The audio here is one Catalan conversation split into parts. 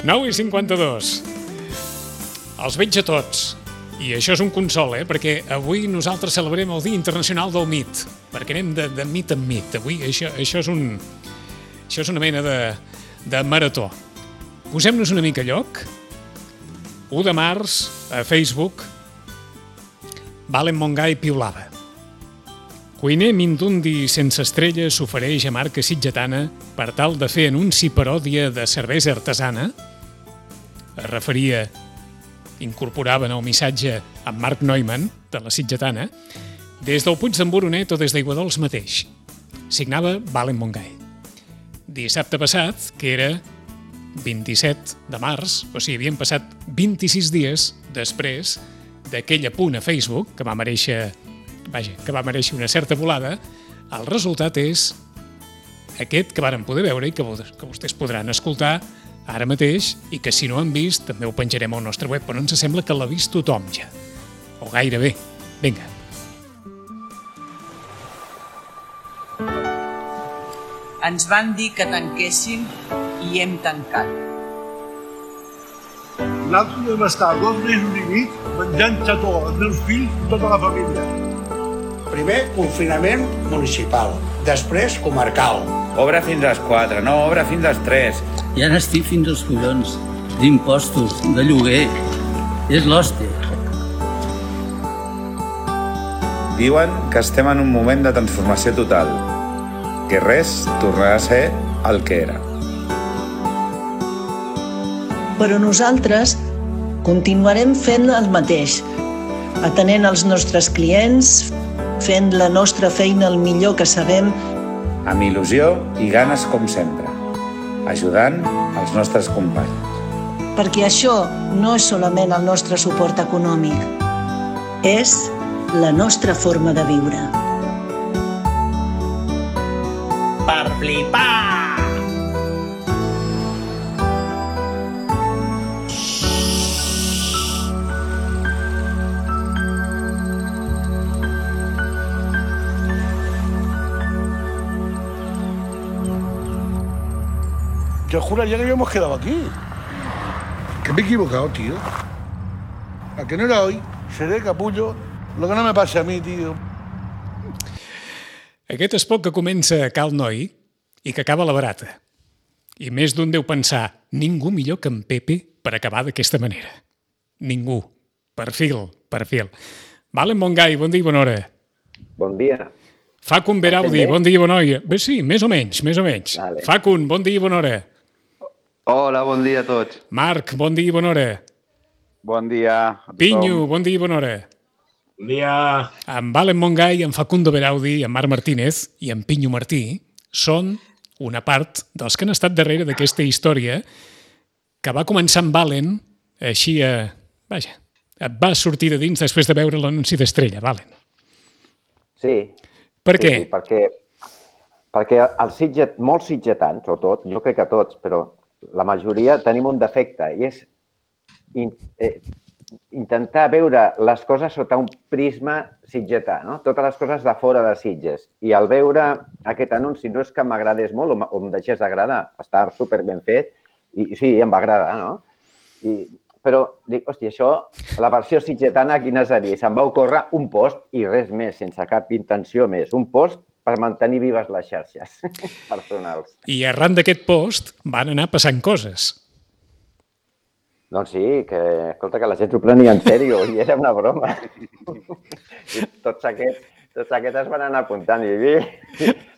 9:52. Els veig a tots. I això és un consol, perquè avui nosaltres celebrem el Dia Internacional del Mit, perquè anem de mit en mit. Avui això és una mena de marató. Posem-nos una mica a lloc. 1 de març, a Facebook, Valen Montgai piulava. Cuiner mindundi sense estrelles s'ofereix a marca sitgetana per tal de fer anunci paròdia de cervesa artesana. Es referia, incorporaven el missatge amb Marc Neumann, de la sitgetana, des del Puig d'en Boronet o des d'Aiguadols mateix. Signava Valen Montgai. Dissabte passat, que era 27 de març, o sigui, havien passat 26 dies després d'aquell apunt a Facebook, que va mereixer una certa volada, el resultat és aquest que varen poder veure i que vostès podran escoltar ara mateix i que si no han vist també ho penjarem al nostre web, però ens sembla que l'ha vist tothom ja, o gairebé. Vinga. Ens van dir que tanquéssim i hem tancat. Nosaltres vam estar 2 mesos i mig menjant xató als meus fills i tota la família. Primer, confinament municipal. Després, comarcal. Obra fins a les 4, no, obra fins a les 3. Ja n'estic fins als collons d'impostos, de lloguer. És l'hòstia. Diuen que estem en un moment de transformació total, que res tornarà a ser el que era. Però nosaltres continuarem fent el mateix, atenent els nostres clients, fent la nostra feina el millor que sabem. Amb il·lusió i ganes com sempre, ajudant els nostres companys. Perquè això no és solament el nostre suport econòmic, és la nostra forma de viure. Per flipar! Yo juraría que habíamos quedado aquí. Que me he equivocado, tío. A que no era hoy, seré capullo. Lo que no me pase a mí, tío. Aquest espot que comença a Cal Noi i que acaba a la Barata. I més d'un deu pensar, ningú millor que en Pepe per acabar d'aquesta manera. Ningú. Perfil. Valen Montgai, bon dia i bona hora. Bon dia. Facun Beraudi, bon dia i bona hora. Bé, sí, més o menys. Vale. Facun, bon dia i bona hora. Hola, bon dia a tots. Marc, bon dia i bona hora. Bon dia a tothom. Pinyo, bon dia i bona hora. Bon dia. En Valen Montgai, en Facundo Beraudi, en Marc Martínez i en Pinyo Martí són una part dels que han estat darrere d'aquesta història que va començar amb Valen, així et va sortir de dins després de veure l'anunci d'Estrella, Valen. Sí. Per què? Sí, perquè molts sitgetans, o tot, jo crec que tots, però la majoria tenim un defecte i és intentar veure les coses sota un prisma sitgetà, no? Totes les coses de fora de Sitges. I al veure aquest anunci no és que m'agradés molt o em deixés d'agradar, està super ben fet i sí, em va agradar, no? Però dic, hòstia, això, la versió sitgetana, quina seria? Se'm va ocórrer un post i res més, sense cap intenció més. Un post per mantenir vives les xarxes personals. I arran d'aquest post van anar passant coses. Doncs sí, escolta, que la gent s'ho prenia en sèrio i era una broma. I tots aquests es van anar apuntant.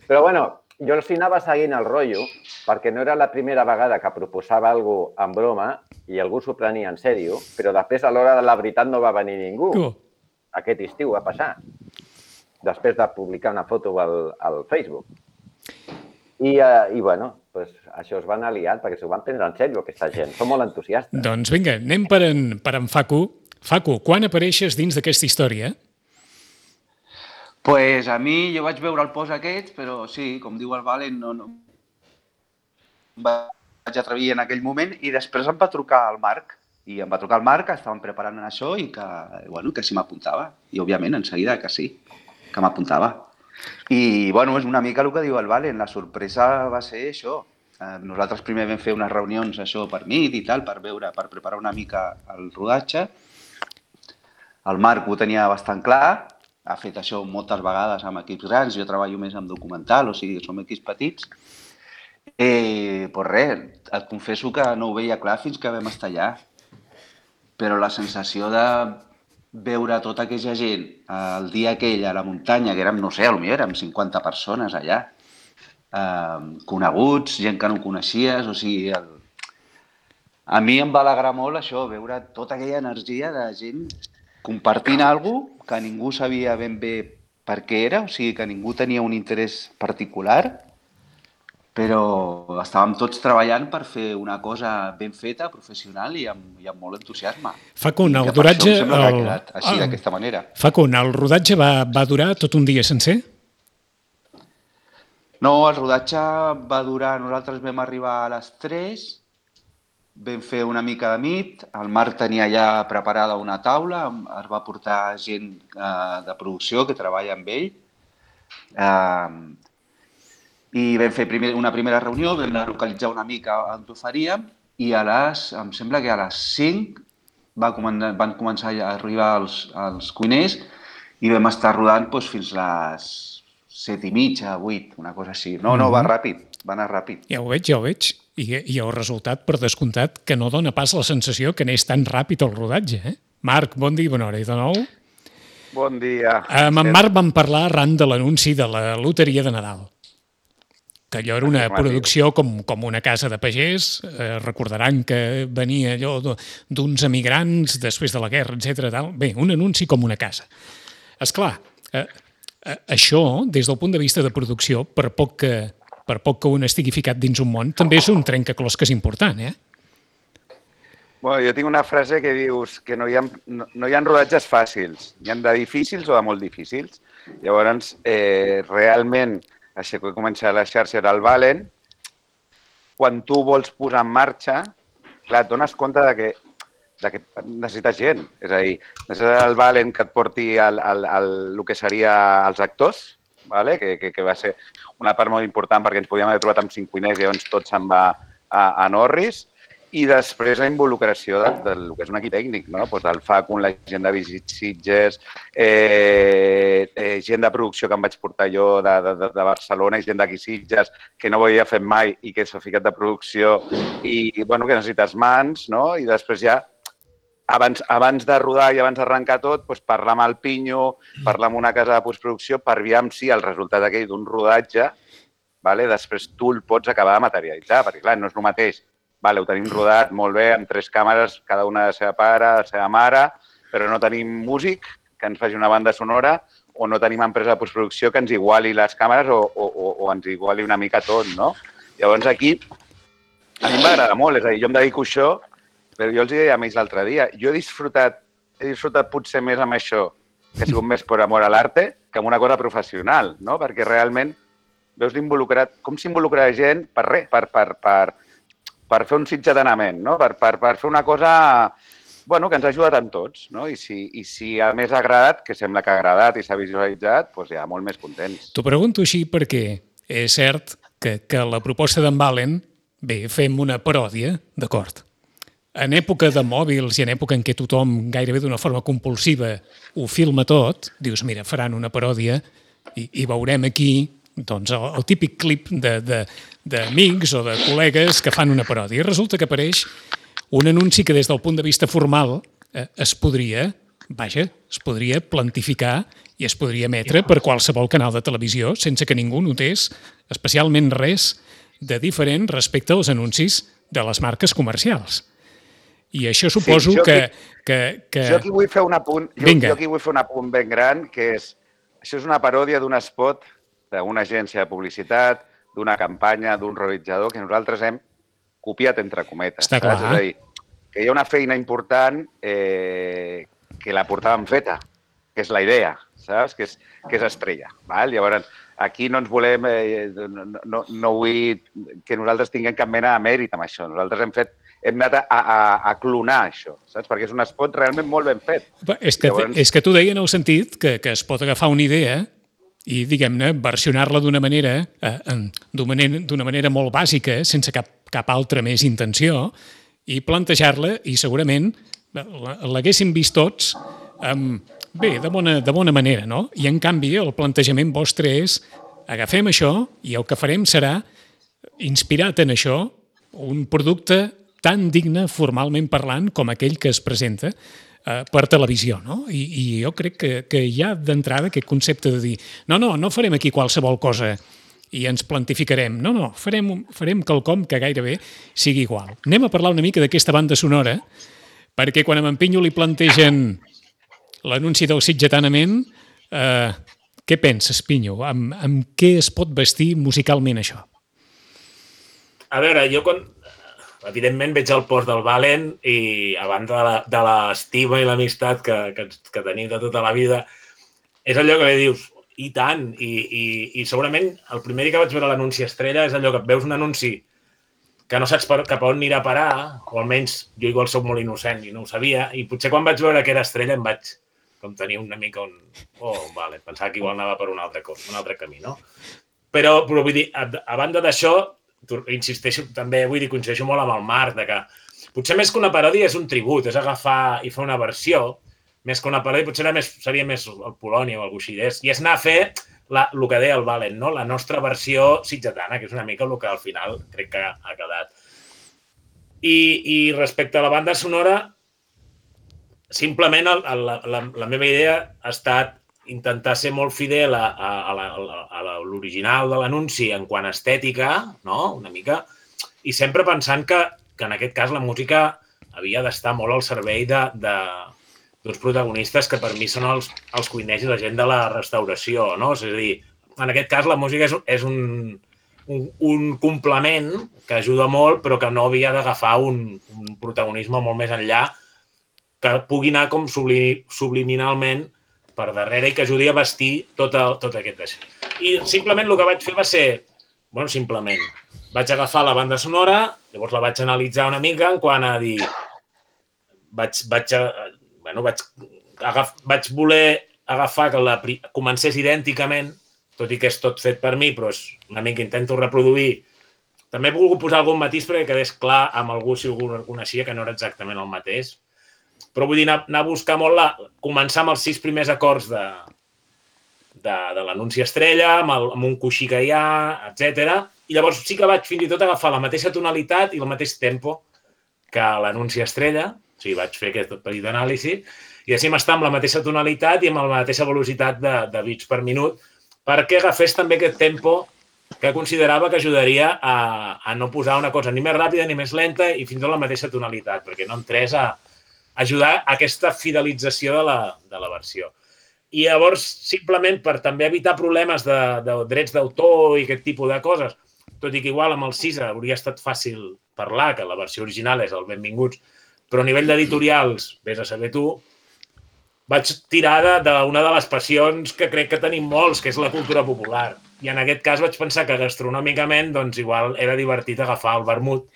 Però bueno, jo els anava seguint el rotllo perquè no era la primera vegada que proposava alguna cosa en broma i algú s'ho prenia en sèrio, però després a l'hora de la veritat no va venir ningú. Aquest estiu va passar, després de publicar una foto al Facebook. I bueno, això es van aliar perquè s'ho van prendre en sèrio, aquesta gent. Són molt entusiastes. Doncs vinga, anem per en Facu. Facu, quan apareixes dins d'aquesta història? Pues a mi, jo vaig veure el post aquest, però sí, com diu el Valen, no vaig atrevir en aquell moment i després em va trucar el Marc. I em va trucar el Marc, estàvem preparant això i que sí m'apuntava. I òbviament, en seguida que sí, que m'apuntava. I, bueno, és una mica el que diu el Valen, la sorpresa va ser això, Nosaltres primer vam fer unes reunions això per Meet i tal, per preparar una mica el rodatge. El Marc ho tenia bastant clar, ha fet això moltes vegades amb equips grans, jo treballo més amb documental, o sigui, som equips petits. Pues res, et confesso que no ho veia clar fins que vam estar allà. Però la sensació de veure tota aquella gent el dia aquell a la muntanya, que érem, no sé, potser érem 50 persones allà, coneguts, gent que no coneixies, o sigui... A mi em va alegrar molt això, veure tota aquella energia de gent compartint alguna cosa que ningú sabia ben bé per què era, o sigui, que ningú tenia un interès particular, però estàvem tots treballant per fer una cosa ben feta, professional i amb molt entusiasme. Facun, el rodatge... Em sembla que ha quedat així, d'aquesta manera. Facun, el rodatge va durar tot un dia sencer? No, el rodatge va durar... Nosaltres vam arribar a les 3, vam fer una mica de Meet, el Marc tenia ja preparada una taula, es va portar gent de producció que treballa amb ell, i vam fer una primera reunió, vam localitzar una mica on ho faríem, i em sembla que a les 5 van començar a arribar els cuiners i vam estar rodant fins les 7:30, 8, una cosa així. No, va ràpid, va anar ràpid. Ja ho veig. I el resultat, per descomptat, que no dona pas la sensació que anés tan ràpid el rodatge, eh? Marc, bon dia i bona hora. I de nou... Bon dia. Amb en Marc vam parlar arran de l'anunci de la loteria de Nadal, que allò era una producció com una casa de pagès. Recordaran que venia allò d'uns emigrants després de la guerra, etc. Bé, un anunci com una casa. Esclar, això, des del punt de vista de producció, per poc que un estigui ficat dins un món, també és un trencaclosques important, eh? Bueno, jo tinc una frase que dius que no hi ha rodatges fàcils, hi ha de difícils o de molt difícils. Llavors, realment, així que comença la xarxa del Valen, quan tu vols posar en marxa, clar, et dones compte de que necessites gent. És a dir, necessites el Valen que et porti el que seria els actors, que va ser una part molt important perquè ens podíem haver trobat amb 5 cuiners i llavors tot se'n va a Norris. I després la involucració del que és un equip tècnic, no? El Facun, la gent de Visit Sitges, gent de producció que em vaig portar jo de Barcelona i gent d'aquí Sitges que no ho havia fet mai i que s'ha ficat de producció i que necessites mans, no? I després ja, abans de rodar i abans d'arrencar tot, parlar amb el Pinyo, parlar amb una casa de postproducció per aviam si el resultat aquell d'un rodatge, després tu el pots acabar de materialitzar, perquè clar, no és el mateix. Ho tenim rodat molt bé, amb 3 càmeres, cada una de la seva pare, de la seva mare, però no tenim músic que ens faci una banda sonora o no tenim empresa de postproducció que ens iguali les càmeres o ens iguali una mica tot, no? Llavors aquí, a mi m'agrada molt, és a dir, jo em dedico a això, però jo els deia a ells l'altre dia, jo he disfrutat potser més amb això, que ha sigut més per amor a l'arte, que amb una cosa professional, no? Perquè realment veus l'involucrat, com s'involucra la gent per res, per fer un sitge d'anament, no? Per fer una cosa que ens ha ajudat amb tots, no? I si a més ha agradat, que sembla que ha agradat i s'ha visualitzat, doncs ja molt més contents. T'ho pregunto així perquè és cert que la proposta d'en Valen, bé, fem una paròdia, d'acord. En època de mòbils i en època en què tothom gairebé d'una forma compulsiva ho filma tot, dius, mira, faran una paròdia i veurem aquí doncs el típic clip d'amics o de col·legues que fan una paròdia. I resulta que apareix un anunci que des del punt de vista formal es podria plantificar i es podria emetre per qualsevol canal de televisió sense que ningú notés especialment res de diferent respecte als anuncis de les marques comercials. I això suposo que... Jo aquí vull fer un apunt, ben gran, que és, això és una paròdia d'un spot d'una agència de publicitat, d'una campanya, d'un realitzador que nosaltres hem copiat entre cometes. Està clar. És a dir, que hi ha una feina important que la portàvem feta, que és la idea, saps? Que és estrella. Llavors, aquí no ens volem... No vull que nosaltres tinguem cap mena de mèrit amb això. Nosaltres hem anat a clonar això, saps? Perquè és un spot realment molt ben fet. És que t'ho deia en el sentit que es pot agafar una idea i, diguem-ne, versionar-la d'una manera molt bàsica, sense cap altra més intenció, i plantejar-la, i segurament l'haguéssim vist tots bé, de bona manera, no? I, en canvi, el plantejament vostre és agafem això i el que farem serà, inspirat en això, un producte tan digne, formalment parlant, com aquell que es presenta per televisió, no? I jo crec que hi ha d'entrada aquest concepte de dir no farem aquí qualsevol cosa i ens plantificarem. No, farem quelcom que gairebé sigui igual. Anem a parlar una mica d'aquesta banda sonora, perquè quan a en Pinyo li plantegen l'anunci del Sitgetanament, què penses, Pinyo? Amb què es pot vestir musicalment això? A veure, jo evidentment veig el post del Valen i a banda de l'estima i l'amistat que tenim de tota la vida, és allò que dius, i tant, i segurament el primer dia que vaig veure l'anunci estrella és allò que veus un anunci que no saps cap a on anirà a parar, o almenys jo igual soc molt innocent i no ho sabia, i potser quan vaig veure que era estrella em vaig com tenir una mica vale, pensava que igual anava per un altre camí, no? Però vull dir, a banda d'això, insisteixo, també vull dir, coincideixo molt amb el Marc, de que potser més que una paròdia és un tribut, és agafar i fer una versió, més que una paròdia potser seria més el Polònia o el Guixidés, i és anar a fer el que deia el Valen, no? La nostra versió sitgetana, que és una mica el que al final crec que ha quedat. I respecte a la banda sonora, simplement la meva idea ha estat intentar ser molt fidel a l'original de l'anunci en quant a estètica, no? Una mica, i sempre pensant que en aquest cas la música havia d'estar molt al servei d'uns protagonistes que per mi són els cuiners i la gent de la restauració, no? És a dir, en aquest cas la música és un complement que ajuda molt, però que no havia d'agafar un protagonisme molt més enllà, que pugui anar com subliminalment per darrere i que ajudi a vestir tot aquest deixat. I simplement el que vaig fer va ser, simplement, vaig agafar la banda sonora, llavors la vaig analitzar una mica en quant a dir, vaig voler agafar que comencés idènticament, tot i que és tot fet per mi, però és una mica intento reproduir. També he volgut posar algun matís perquè quedés clar amb algú si algú el coneixia que no era exactament el mateix. Però vull dir, anar a buscar molt començar amb els 6 primers acords de l'anunci estrella, amb un coixí que hi ha, etc. I llavors sí que vaig fins i tot agafar la mateixa tonalitat i el mateix tempo que l'anunci estrella, o sigui, vaig fer aquest petit anàlisi, i així m'està amb la mateixa tonalitat i amb la mateixa velocitat de bits per minut, perquè agafés també aquest tempo que considerava que ajudaria a no posar una cosa ni més ràpida ni més lenta i fins a la mateixa tonalitat, perquè no entrés a ajudar a aquesta fidelització de la versió. I llavors, simplement per també evitar problemes de drets d'autor i aquest tipus de coses, tot i que igual amb el 6 hauria estat fàcil parlar, que la versió original és el Benvinguts, però a nivell d'editorials, vés a saber tu, vaig tirar d'una de les passions que crec que tenim molts, que és la cultura popular. I en aquest cas vaig pensar que gastronòmicament, doncs igual era divertit agafar el vermut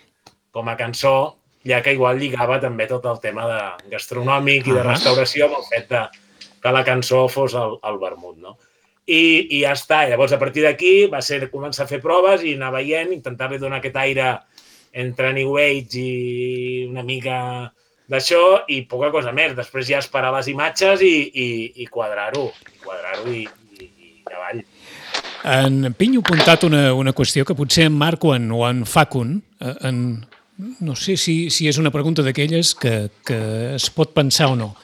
com a cançó, ja que igual lligava també tot el tema de gastronòmic i de restauració amb el fet que la cançó fos el vermut, no? I ja està. Llavors, a partir d'aquí va ser començar a fer proves i anar veient, intentar-li donar aquest aire entre New Age i una mica d'això i poca cosa més. Després ja esperar les imatges i quadrar-ho i avall. En Pinyo ha apuntat una qüestió que potser en Marc o en Facun, no sé si és una pregunta d'aquelles que es pot pensar o no.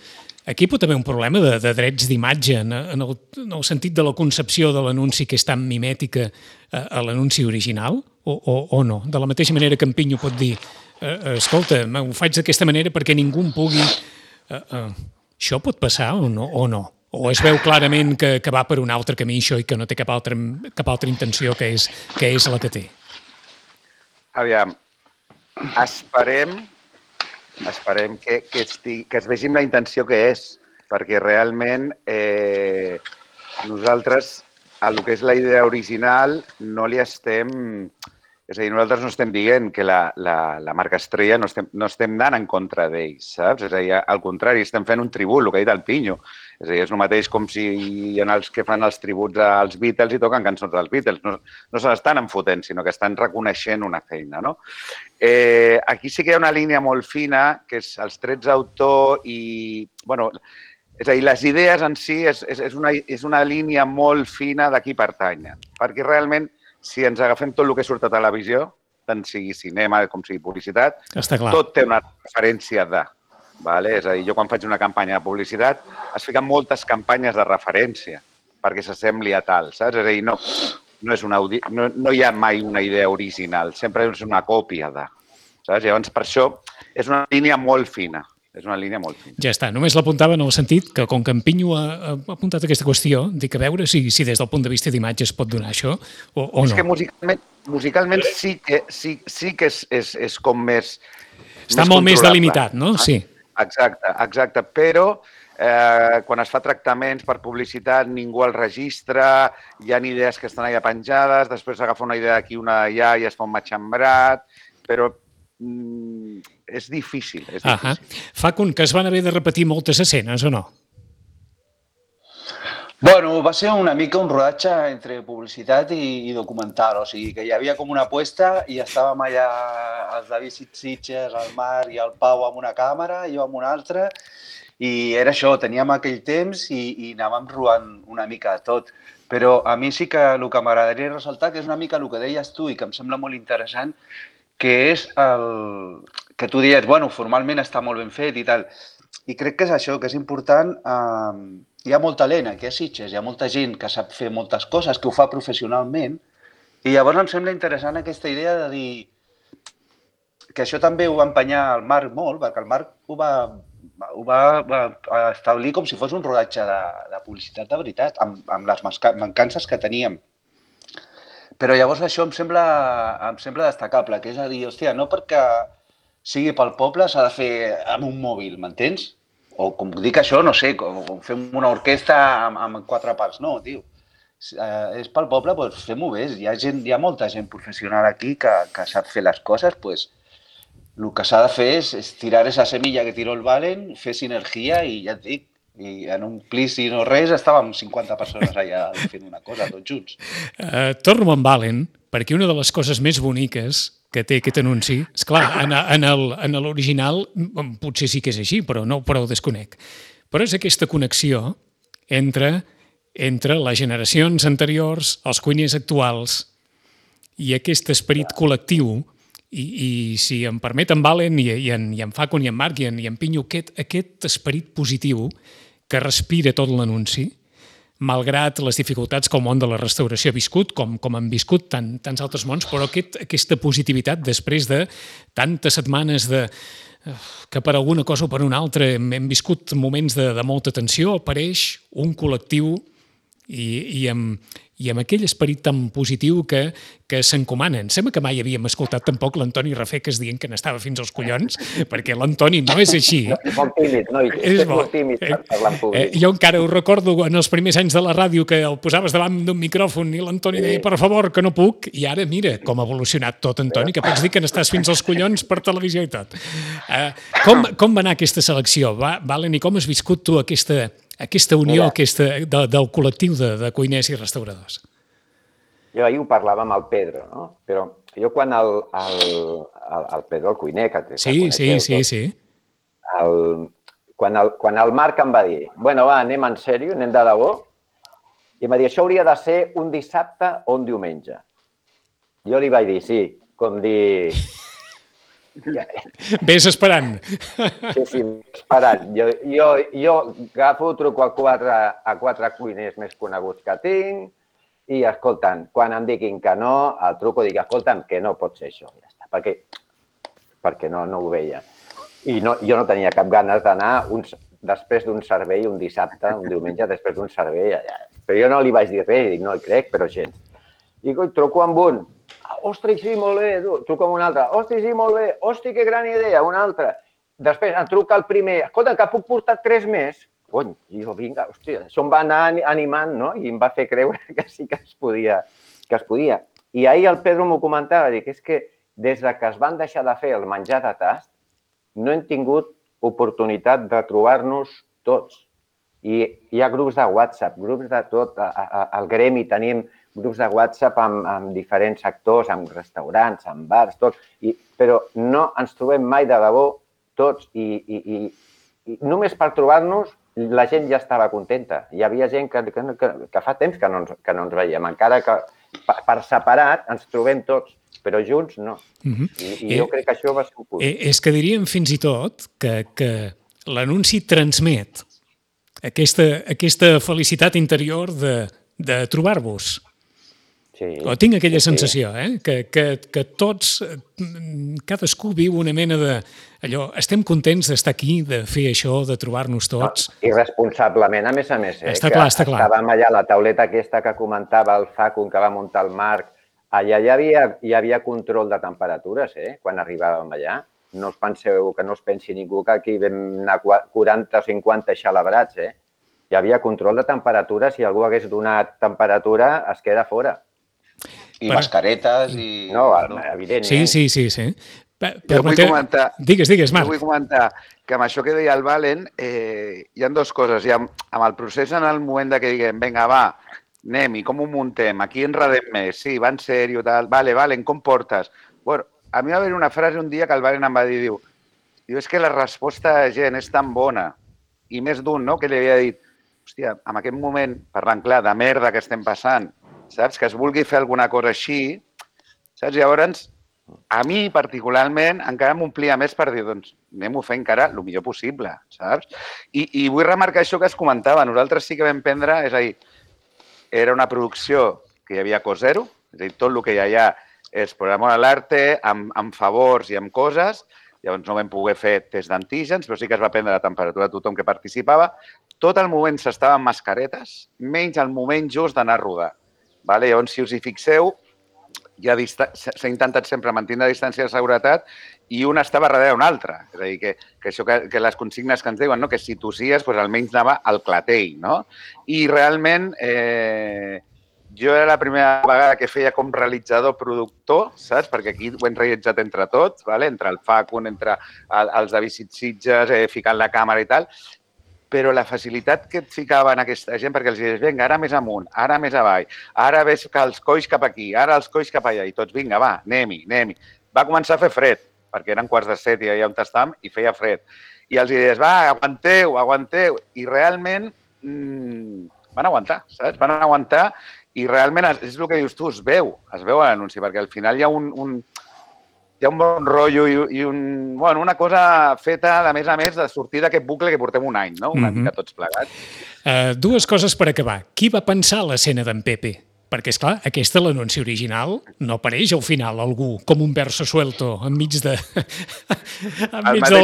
Aquí pot haver un problema de drets d'imatge en el sentit de la concepció de l'anunci que és tan mimètica a l'anunci original o no? De la mateixa manera que en Pinyo pot dir escolta, ho faig d'aquesta manera perquè ningú em pugui... Això pot passar o no? O es veu clarament que va per un altre camí això i que no té cap altra intenció que és la que té? Aviam, esperem que es vegi amb la intenció que és, perquè realment nosaltres, a el que és la idea original, no li estem És a dir, nosaltres no estem dient que la marca Estrella no estem anant en contra d'ells, saps? És a dir, al contrari, estem fent un tribut, el que ha dit el Pinyo. És a dir, és el mateix com si hi ha els que fan els tributs als Beatles i toquen cançons dels Beatles. No se l'estan enfotent, sinó que estan reconeixent una feina, no? Aquí sí que hi ha una línia molt fina, que és els drets d'autor i... Bueno, és a dir, les idees en si és una línia molt fina de qui pertanyen, perquè realment si ens agafem tot el que surt a televisió, tant sigui cinema com sigui publicitat, tot té una referència de. És a dir, jo quan faig una campanya de publicitat es fiquen moltes campanyes de referència perquè s'assembli a tal, saps? És a dir, no hi ha mai una idea original, sempre és una còpia de. Saps? Llavors, per això, és una línia molt fina. És una línia molt fina. Ja està, només l'apuntava en el sentit que com que en Pinyo ha apuntat aquesta qüestió, dic a veure si des del punt de vista d'imatge es pot donar això o no. És que musicalment sí que és com més... Està molt més delimitat, no? Sí. Exacte, però quan es fa tractaments per publicitat ningú el registra, hi ha idees que estan allà penjades, després s'agafa una idea d'aquí, una d'allà i es fa un matxembrat, però és difícil. Facun, que es van haver de repetir moltes escenes o no? Bueno, va ser una mica un rodatge entre publicitat i documental, o sigui que hi havia com una apuesta i estàvem allà els David Sitges, el Marc i el Pau amb una càmera, jo amb una altra, i era això, teníem aquell temps i anàvem rodant una mica de tot. Però a mi sí que el que m'agradaria ressaltar, que és una mica el que deies tu i que em sembla molt interessant, que és el que tu dius, bueno, formalment està molt ben fet i tal. I crec que és això, que és important. Hi ha molt talent aquí a Sitges, hi ha molta gent que sap fer moltes coses, que ho fa professionalment, i llavors em sembla interessant aquesta idea de dir que això també ho va empenyar el Marc molt, perquè el Marc ho va establir com si fos un rodatge de publicitat de veritat, amb les mancances que teníem. Però llavors això em sembla destacable, que és a dir, hòstia, no perquè sigui pel poble s'ha de fer amb un mòbil, m'entens? O com dic això, no sé, com fem una orquestra amb 4 parts. No, tio, és pel poble, doncs fem-ho bé. Hi ha molta gent professional aquí que sap fer les coses, doncs el que s'ha de fer és tirar esa semilla que tiró el Valen, fer sinergia i ja et dic, i en un plis i no res estàvem 50 persones allà fent una cosa, tots junts. Torno amb Valen, perquè una de les coses més boniques que té aquest anunci, esclar, en l'original potser sí que és així, però ho desconec. Però és aquesta connexió entre les generacions anteriors, els cuiners actuals i aquest esperit col·lectiu. I si em permet en Valen i en Facun i en Marc i en Pinyo, aquest esperit positiu que respira tot l'anunci, malgrat les dificultats que el món de la restauració ha viscut, com han viscut tants altres mons, però aquesta positivitat després de tantes setmanes que per alguna cosa o per una altra hem viscut moments de molta tensió, apareix un col·lectiu i amb aquell esperit tan positiu que s'encomanen. Sembla que mai havíem escoltat tampoc l'Antoni Rafeques dient que n'estava fins als collons, perquè l'Antoni no és així. És molt tímid, no? És molt tímid per parlar en públic. Jo encara ho recordo en els primers anys de la ràdio que el posaves davant d'un micròfon i l'Antoni deia, per favor, que no puc, i ara mira com ha evolucionat tot, Antoni, que pots dir que n'estàs fins als collons per televisió i tot. Com va anar aquesta selecció, Valen, i com has viscut tu aquesta unió del col·lectiu de cuiners i restauradors? Jo ahir ho parlava amb el Pedro, no? Però jo quan el Pedro, el cuiner, que Sí. Quan el Marc em va dir, bueno, va, anem en sèrio, anem de debò, i em va dir, això hauria de ser un dissabte o un diumenge. Jo li vaig dir, sí, com dir... Ves esperant. Sí, esperant. Jo agafo, truco a quatre cuiners més coneguts que tinc i, escolta'm, quan em diguin que no, el truco i dic, escolta'm, que no pot ser això. Ja està, perquè no ho veia. I jo no tenia cap ganes d'anar després d'un servei, un dissabte, un diumenge, després d'un servei. Però jo no li vaig dir res, dic, no hi crec, però gens. I truco amb un. Ostres, sí, molt bé, truco amb un altre. Ostres, sí, molt bé. Ostres, que gran idea, un altre. Després em truca el primer. Escolta, que puc portar 3 més? Cony, jo, vinga, hòstia, això em va anar animant, no? I em va fer creure que sí que es podia. I ahir el Pedro m'ho comentava, dic, és que des que es van deixar de fer el menjar de tast, no hem tingut oportunitat de trobar-nos tots. I hi ha grups de WhatsApp, grups de tot. Al gremi tenim grups de WhatsApp amb diferents sectors, amb restaurants, amb bars, tot. Però no ens trobem mai de debò tots. I només per trobar-nos la gent ja estava contenta. Hi havia gent que fa temps que no ens veiem. Encara que per separat ens trobem tots, però junts no. I jo crec que això va ser un punt. És que diríem fins i tot que l'anunci transmet aquesta felicitat interior de trobar-vos. Sí. O tinc aquella sensació, que tots, cadascú viu una mena de... Allò, estem contents d'estar aquí, de fer això, de trobar-nos tots. Irresponsablement, a més. Està clar. Estàvem allà, la tauleta aquesta que comentava el Facun, que va muntar el Marc, allà hi havia control de temperatures, quan arribàvem allà. No us penseu, que no es pensi ningú que aquí vam anar 40 o 50 xalabrats, Hi havia control de temperatures, si algú hagués donat temperatura, es queda fora. I mascaretes i... No, evident. Sí. Jo vull comentar... Digues, Marc. Jo vull comentar que amb això que deia el Valen hi ha dues coses. Amb el procés, en el moment que diguem, vinga, va, anem, i com ho muntem? Aquí enredem més. Sí, va en sèrio, tal. Valen, com portes? Bueno, a mi va haver una frase un dia que el Valen em va dir, diu, és que la resposta de gent és tan bona, i més d'un, no?, que li havia dit, hòstia, en aquest moment, parlant clar, de merda que estem passant, saps? Que es vulgui fer alguna cosa així, saps? Llavors, a mi particularment encara m'omplia més per dir, doncs, anem-ho fent encara el millor possible, saps? I vull remarcar això que es comentava. Nosaltres sí que vam prendre, és a dir, era una producció que hi havia cost zero, és a dir, tot el que hi ha allà és per amor a l'arte, amb favors i amb coses. Llavors no vam poder fer test d'antígens, però sí que es va prendre la temperatura de tothom que participava. Tot el moment s'estava amb mascaretes, menys el moment just d'anar a rodar. Llavors, si us hi fixeu, s'ha intentat sempre mantenir la distància de seguretat i un estava darrere un altre. És a dir, que les consignes que ens diuen, que si tossies, almenys anava al clatell. I realment, jo era la primera vegada que feia com realitzador-productor, saps? Perquè aquí ho hem realitzat entre tots, entre el Facun, entre els de Visit Sitges, ficant la càmera i tal, però la facilitat que et ficaven aquesta gent, perquè els dius, vinga, ara més amunt, ara més avall, ara ves que els colls cap aquí, ara els colls cap allà, i tots, vinga, va, anem-hi. Va començar a fer fred, perquè eren 6:45 i allà on estàvem, i feia fred. I els dius, va, aguanteu, i realment van aguantar, saps? Van aguantar, i realment és el que dius tu, es veu a l'anunci, perquè al final hi ha un bon rotllo i una cosa feta, a més, de sortir d'aquest bucle que portem un any, no? Una mica tots plegats. Dues coses per acabar. Qui va pensar l'escena d'en Pepe? Perquè, esclar, aquesta, l'anunci original, no apareix al final algú com un verso suelto enmig del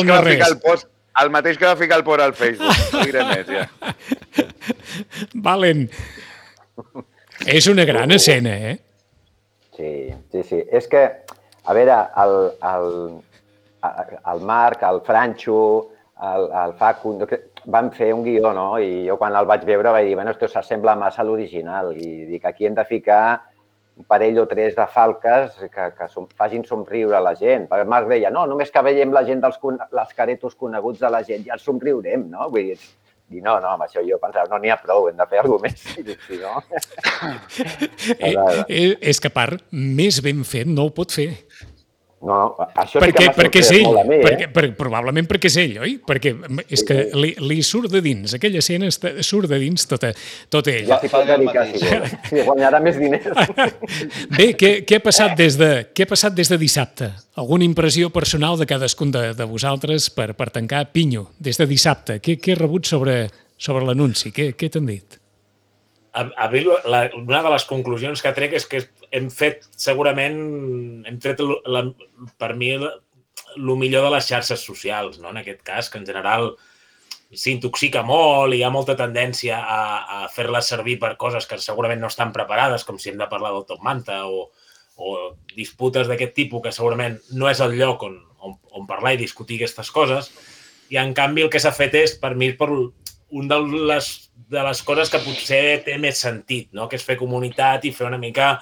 no-res. El mateix que va ficar el por al Facebook. No diré més, ja. Valen. És una gran escena, Sí. És que, a veure, el Marc, el Franxo, el Facun, van fer un guió, no? I jo quan el vaig veure vaig dir, bueno, esto s'assembla massa a l'original. I dic, aquí hem de ficar un parell o tres de falques que facin somriure la gent. Perquè el Marc deia, no, només que veiem la gent dels caretos coneguts de la gent, ja els somriurem, no? Vull dir, no, amb això jo pensava, no n'hi ha prou, hem de fer alguna cosa més. Si no... És que, a part, més ben fet no ho pot fer. No, això sí que m'ha sorprès molt a mi, Probablement perquè és ell, oi? Perquè és que li surt de dins, aquella escena surt de dins tot ell. Ja s'hi pot dedicar, si vol. Si guanyarà més diners. Bé, què ha passat des de dissabte? Alguna impressió personal de cadascun de vosaltres per tancar Pinyo, des de dissabte? Què he rebut sobre l'anunci? Què t'han dit? A mi, una de les conclusions que trec és que hem tret per mi el millor de les xarxes socials, no? En aquest cas, que en general s'intoxica molt i hi ha molta tendència a fer-les servir per coses que segurament no estan preparades, com si hem de parlar del Top Manta o disputes d'aquest tipus, que segurament no és el lloc on parlar i discutir aquestes coses. I, en canvi, el que s'ha fet és, per mi, una de les coses que potser té més sentit, no? Que és fer comunitat i fer una mica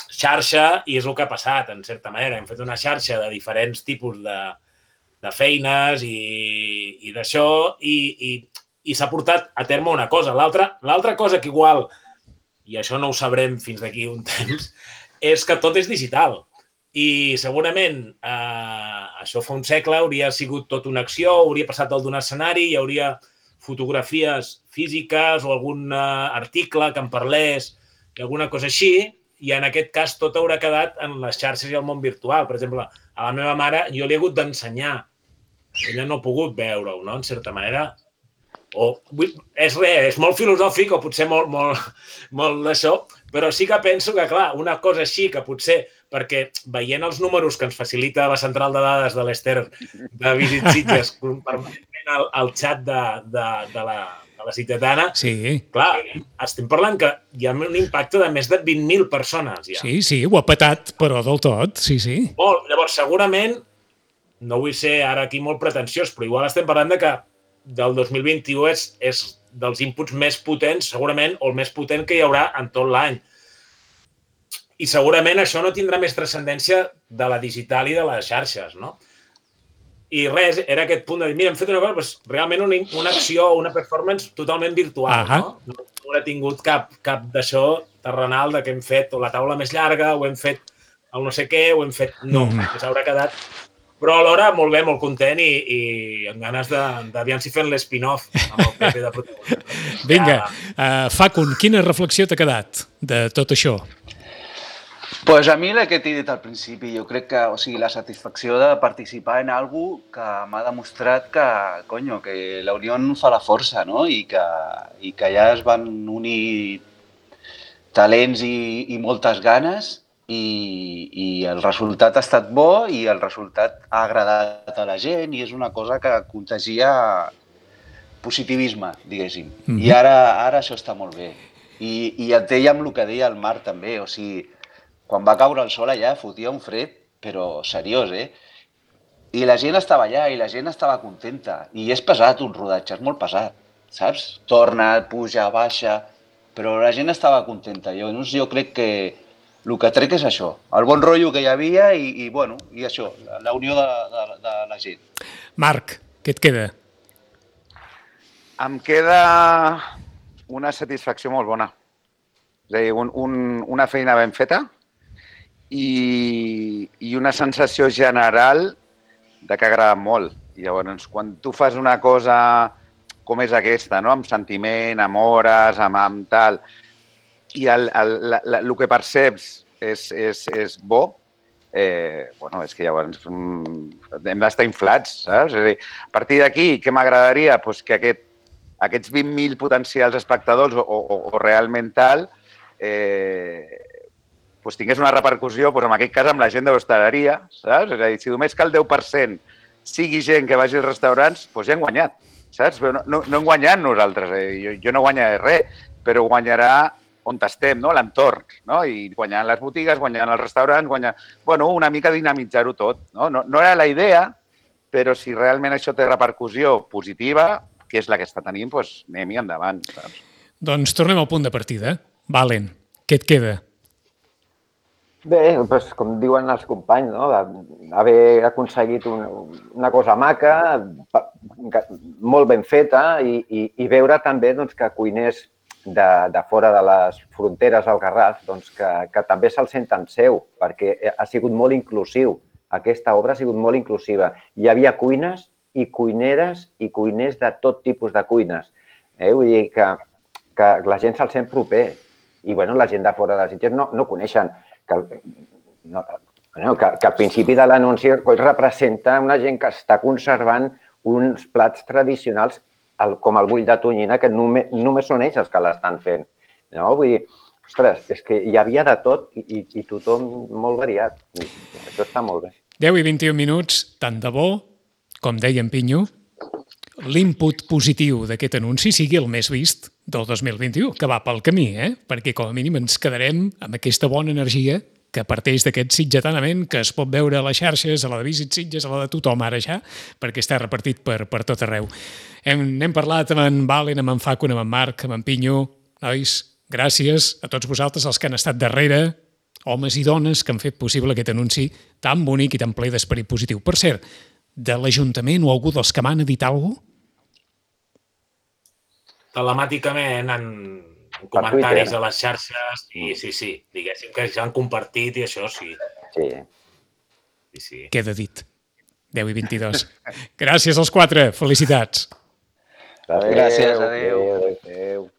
xarxa i és el que ha passat, en certa manera. Hem fet una xarxa de diferents tipus de feines i d'això i s'ha portat a terme una cosa. L'altra cosa que igual, i això no ho sabrem fins d'aquí un temps, és que tot és digital. I segurament això fa un segle hauria sigut tot una acció, hauria passat dalt d'un escenari, hi hauria fotografies físiques o algun article que en parlés i alguna cosa així, i en aquest cas tot haurà quedat en les xarxes i el món virtual. Per exemple, a la meva mare jo li he hagut d'ensenyar. Ella no ha pogut veure-ho, no?, en certa manera. És molt filosòfic o potser molt d'això, però sí que penso que, clar, una cosa així que potser, perquè veient els números que ens facilita la central de dades de l'Ester de Visit Sitges, permanentment al xat de la Sitgetana, clar, estem parlant que hi ha un impacte de més de 20.000 persones. Ja. Sí, ho ha petat, però del tot, sí. Molt. Llavors, segurament, no vull ser ara aquí molt pretensiós, però igual estem parlant de que del 2021 és dels inputs més potents, segurament, o el més potent que hi haurà en tot l'any. I segurament això no tindrà més transcendència de la digital i de les xarxes, no? I res, era aquest punt de dir, mira, hem fet una cosa, doncs, realment una acció, una performance totalment virtual, no? No haurà tingut cap d'això terrenal de que hem fet o la taula més llarga, o hem fet el no sé què, o hem fet... No, que s'haurà quedat... Però alhora, molt bé, molt content i amb ganes d'aviam si fem l'espin-off amb el PP de protagonista. Vinga, Facun, quina reflexió t'ha quedat de tot això? Pues a mi el que t'he dit al principi, jo crec que, o sigui, la satisfacció de participar en alguna cosa que m'ha demostrat que la unió fa la força, no? I que ja es van unir talents i moltes ganes i el resultat ha estat bo i el resultat ha agradat a la gent i és una cosa que contagia positivisme, diguéssim. I ara això està molt bé. I et deia amb el que deia el Marc també, o sigui, quan va caure el sol allà fotia un fred, però seriós, I la gent estava allà i la gent estava contenta. I és pesat un rodatge, és molt pesat, saps? Torna, puja, baixa, però la gent estava contenta. Jo crec que el que trec és això, el bon rotllo que hi havia i això, la unió de la gent. Marc, què et queda? Em queda una satisfacció molt bona. És a dir, una feina ben feta i una sensació general de que ha agradat molt. I llavors, quan tu fas una cosa com és aquesta, no? Amb sentiment, amb hores, amb tal, i el que perceps és bo, és que llavors hem d'estar inflats, saps? És a dir, a partir d'aquí, què m'agradaria? Que aquests 20.000 potencials espectadors o realment tal tingués una repercussió, en aquest cas, amb la gent de l'hostaleria, saps? És a dir, si només que el 10% sigui gent que vagi als restaurants, ja hem guanyat, saps? Però no hem guanyat nosaltres. Jo no guanyaré res, però guanyarà on estem, no? L'entorn, no? I guanyant les botigues, guanyant els restaurants, una mica dinamitzar-ho tot. No era la idea, però si realment això té repercussió positiva, que és la que està tenint, anem-hi endavant, saps? Doncs tornem al punt de partida. Valen, què et queda? Bé, com diuen els companys, no? Haver aconseguit una cosa maca, molt ben feta i veure també que cuiners de fora de les fronteres al Garraf que també se'l senten seu, perquè ha sigut molt inclusiu. Aquesta obra ha sigut molt inclusiva. Hi havia cuines i cuineres i cuiners de tot tipus de cuines. Vull dir que la gent se'l sent proper. I la gent de fora de Sitges no coneixen que al principi de l'anunci representa una gent que està conservant uns plats tradicionals com el bull de tonyina, que només són ells els que l'estan fent. Vull dir, ostres, és que hi havia de tot i tothom molt variat. Això està molt bé. 10 i 21 minuts, tant de bo, com deia en Pinyo, l'input positiu d'aquest anunci sigui el més vist del 2021, que va pel camí, perquè com a mínim ens quedarem amb aquesta bona energia que parteix d'aquest sitgetanament que es pot veure a les xarxes, a la de Visit Sitges, a la de tothom ara ja, perquè està repartit per tot arreu. Hem parlat amb en Valen, amb en Facun, amb en Marc, amb en Pinyo. Nois, gràcies a tots vosaltres, els que han estat darrere, homes i dones que han fet possible aquest anunci tan bonic i tan ple d'esperit positiu. Per cert, de l'Ajuntament o algú dels que m'han dit alguna cosa? Telemàticament, en comentaris a les xarxes, sí, diguéssim que ja han compartit i això sí. Sí. Queda dit. 10 i 22. Gràcies als 4, felicitats. Gràcies, adéu.